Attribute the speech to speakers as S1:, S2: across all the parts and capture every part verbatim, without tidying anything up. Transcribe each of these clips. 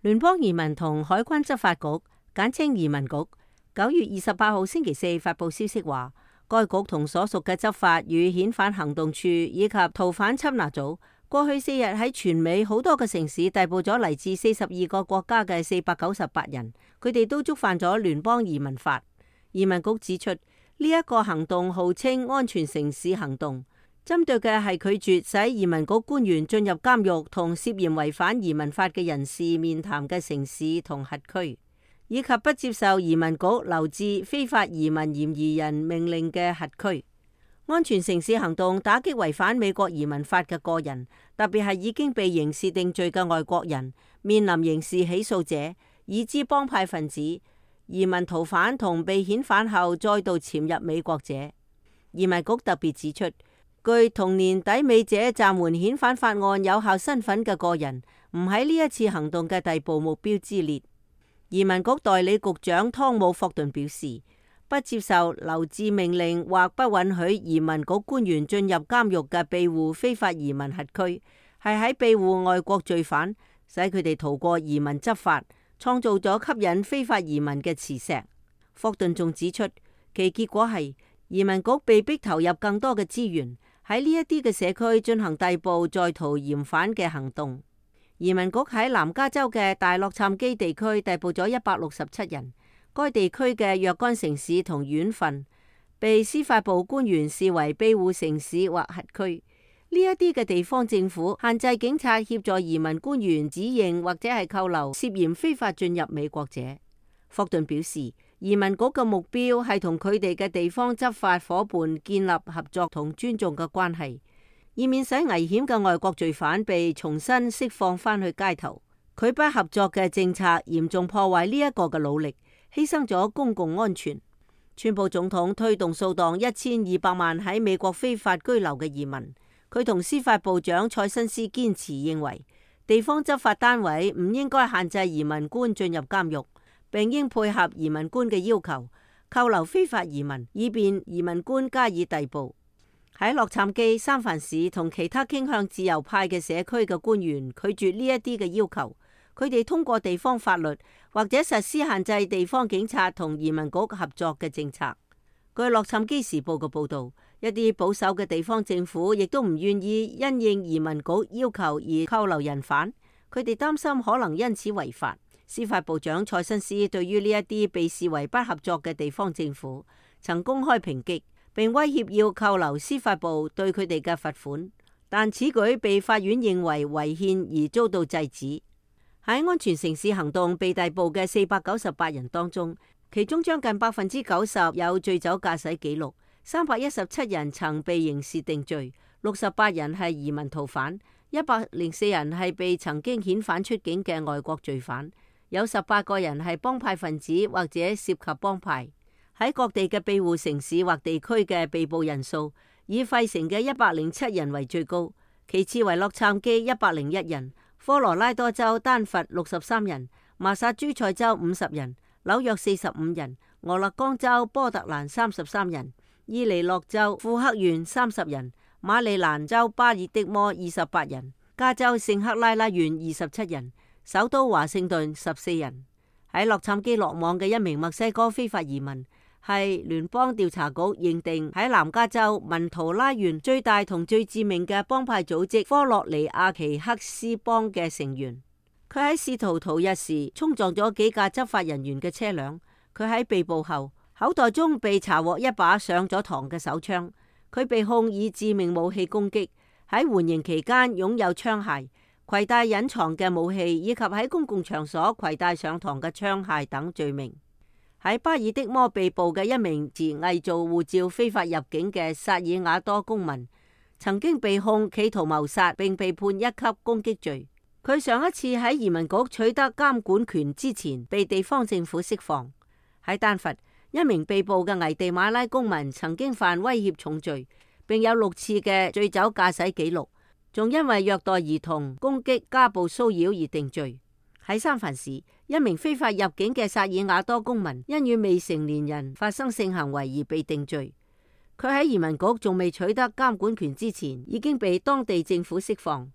S1: 聯邦移民同海關執法局簡稱移民局九月二十八號星期四發佈消息話，該局同所屬嘅執法與遣返行動處以及逃犯緝拿組過去四日喺全美好多個城市逮捕咗嚟自四十二個國家嘅四百九十八人，佢哋都觸犯咗聯邦移民法。移民局指出，呢一個行動號稱安全城市行動，針對嘅係拒絕使移民局官員進入監獄同涉嫌違反移民法嘅人士面談嘅城市同轄區，以及不接受移民局留置非法移民嫌疑人命令嘅轄區。安全城市行動打擊違反美國移民法嘅個人，特別係已經被刑事定罪嘅外國人、面臨刑事起訴者、已知幫派分子、移民逃犯同被遣返後再度潛入美國者。移民局特別指出，據同年抵美者暫緩遣返法案有效身份嘅個人，唔喺呢一次行動嘅逮捕目標之列。移民局代理局長湯姆霍頓表示，不接受留置命令或不允許移民局官員進入監獄嘅庇護非法移民轄區，係喺庇護外國罪犯，使佢哋逃過移民執法，創造咗吸引非法移民嘅磁石。霍頓仲指出，其結果係移民局被逼投入更多嘅資源喺呢一啲嘅社區進行逮捕在逃嫌犯嘅行動。移民局喺南加州嘅大洛杉磯地區逮捕咗一百六十七人。該地區嘅若干城市同縣份被司法部官員視為庇護城市或轄區。呢一啲嘅地方政府限制警察協助移民官員指認或者係扣留涉嫌非法進入美國者。霍頓表示，移民局嘅目標係同佢哋嘅地方執法夥伴建立合作同尊重嘅關係，以免使危險嘅外國罪犯被重新釋放返去街頭。佢不合作嘅政策嚴重破壞呢一個嘅努力，犧牲咗公共安全。川普總統推動掃蕩一千二百萬喺美國非法居留嘅移民。佢同司法部長蔡新斯堅持認為，地方執法單位唔應該限制移民官進入監獄，並應配合移民官嘅要求，扣留非法移民，以便移民官加以逮捕。喺洛杉磯、三藩市同其他傾向自由派嘅社區嘅官員拒絕呢一啲嘅要求。佢哋通過地方法律或者實施限制地方警察同移民局合作嘅政策。據洛杉磯時報嘅報導，一啲保守嘅地方政府亦都唔願意因應移民局要求而扣留人犯，佢哋擔心可能因此違法。司法部長蔡新斯對於呢一啲被視為不合作嘅地方政府，曾公開抨擊，並威脅要扣留司法部對佢哋嘅罰款，但此舉被法院認為違憲而遭到制止。喺安全城市行動被逮捕嘅四百九十八人當中，其中將近百分之九十有醉酒駕駛記錄，三百一十七人曾被刑事定罪，六十八人係移民逃犯，一百零四人係被曾經遣返出境嘅外國罪犯，有十八個人係幫派分子或者涉及幫派。喺各地嘅庇護城市或地區嘅被捕人數，以費城嘅一百零七人為最高，其次為洛杉磯一百零一人。科羅拉多州丹佛六十三人，麻薩諸塞州五十人，紐約四十五人，俄勒岡州波特蘭三十三人，伊利諾州富克縣三十人，馬里蘭州巴爾的摩二十八人，加州聖克拉拉縣二十七人，首都華盛頓十四人。喺洛杉磯落網嘅一名墨西哥非法移民，係聯邦調查局認定喺南加州文圖拉縣最大同最致命嘅幫派組織科洛尼亞奇克斯幫嘅成員。佢喺試圖逃逸時衝撞咗幾架執法人員嘅車輛。佢喺被捕後口袋中被查獲一把上咗膛嘅手槍。佢被控以致命武器攻擊，喺緩刑期間擁有槍械、攜帶隱藏嘅武器以及喺公共場所攜帶上膛嘅槍械等罪名。喺巴爾的摩被捕嘅一名持偽造護照非法入境嘅薩爾瓦多公民，曾經被控企圖謀殺並被判一級攻擊罪。佢上一次喺移民局取得監管權之前被地方政府釋放。喺丹佛，一名被捕嘅危地馬拉公民曾經犯威脅重罪，並有六次嘅醉酒駕駛記錄，仲因為虐待兒童、攻擊、家暴騷擾而定罪。喺三藩市，一名非法入境嘅薩爾瓦多公民因與未成年人發生性行為而被定罪。佢喺移民局仲未取得監管權之前，已經被當地政府釋放。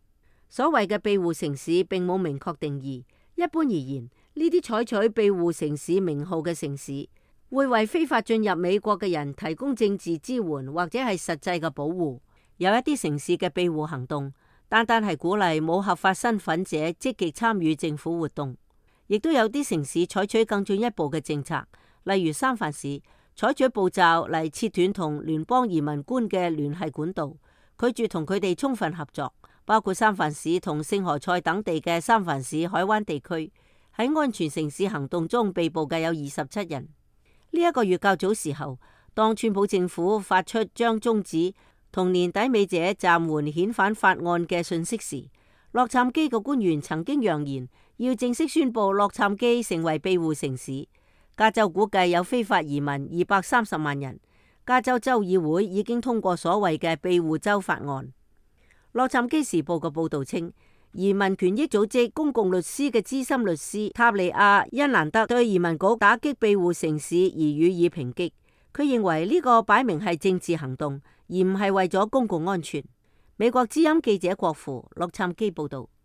S1: 所謂嘅庇護城市並冇明確定義，一般而言，呢啲採取庇護城市名號嘅城市，會為非法進入美國嘅人提供政治支援或者係實際嘅保護。有一啲城市嘅庇護行動，單單係鼓勵冇合法身份者積極參與政府活動。亦都有啲城市採取更進一步嘅政策，例如三藩市採取步驟嚟切斷同聯邦移民官嘅聯繫管道，拒絕同佢哋充分合作。包括三藩市同聖何塞等地嘅三藩市海灣地區，喺安全城市行動中被捕嘅有二十七人。呢、這、一個月較早時候，當川普政府發出將終止同年底尾者暫緩遣返法案嘅訊息時，洛杉磯嘅官員曾經揚言要正式宣布洛杉磯成為庇護城市。加州估計有非法移民二百三十萬人。加州州議會已經通過所謂嘅庇護州法案。洛杉磯時報嘅報道稱，移民權益組織公共律師嘅資深律師塔利亞恩蘭德對移民局打擊庇護城市而予以抨擊。佢認為呢個擺明係政治行動，而唔係為咗公共安全。美國之音記者郭芙洛杉磯報道。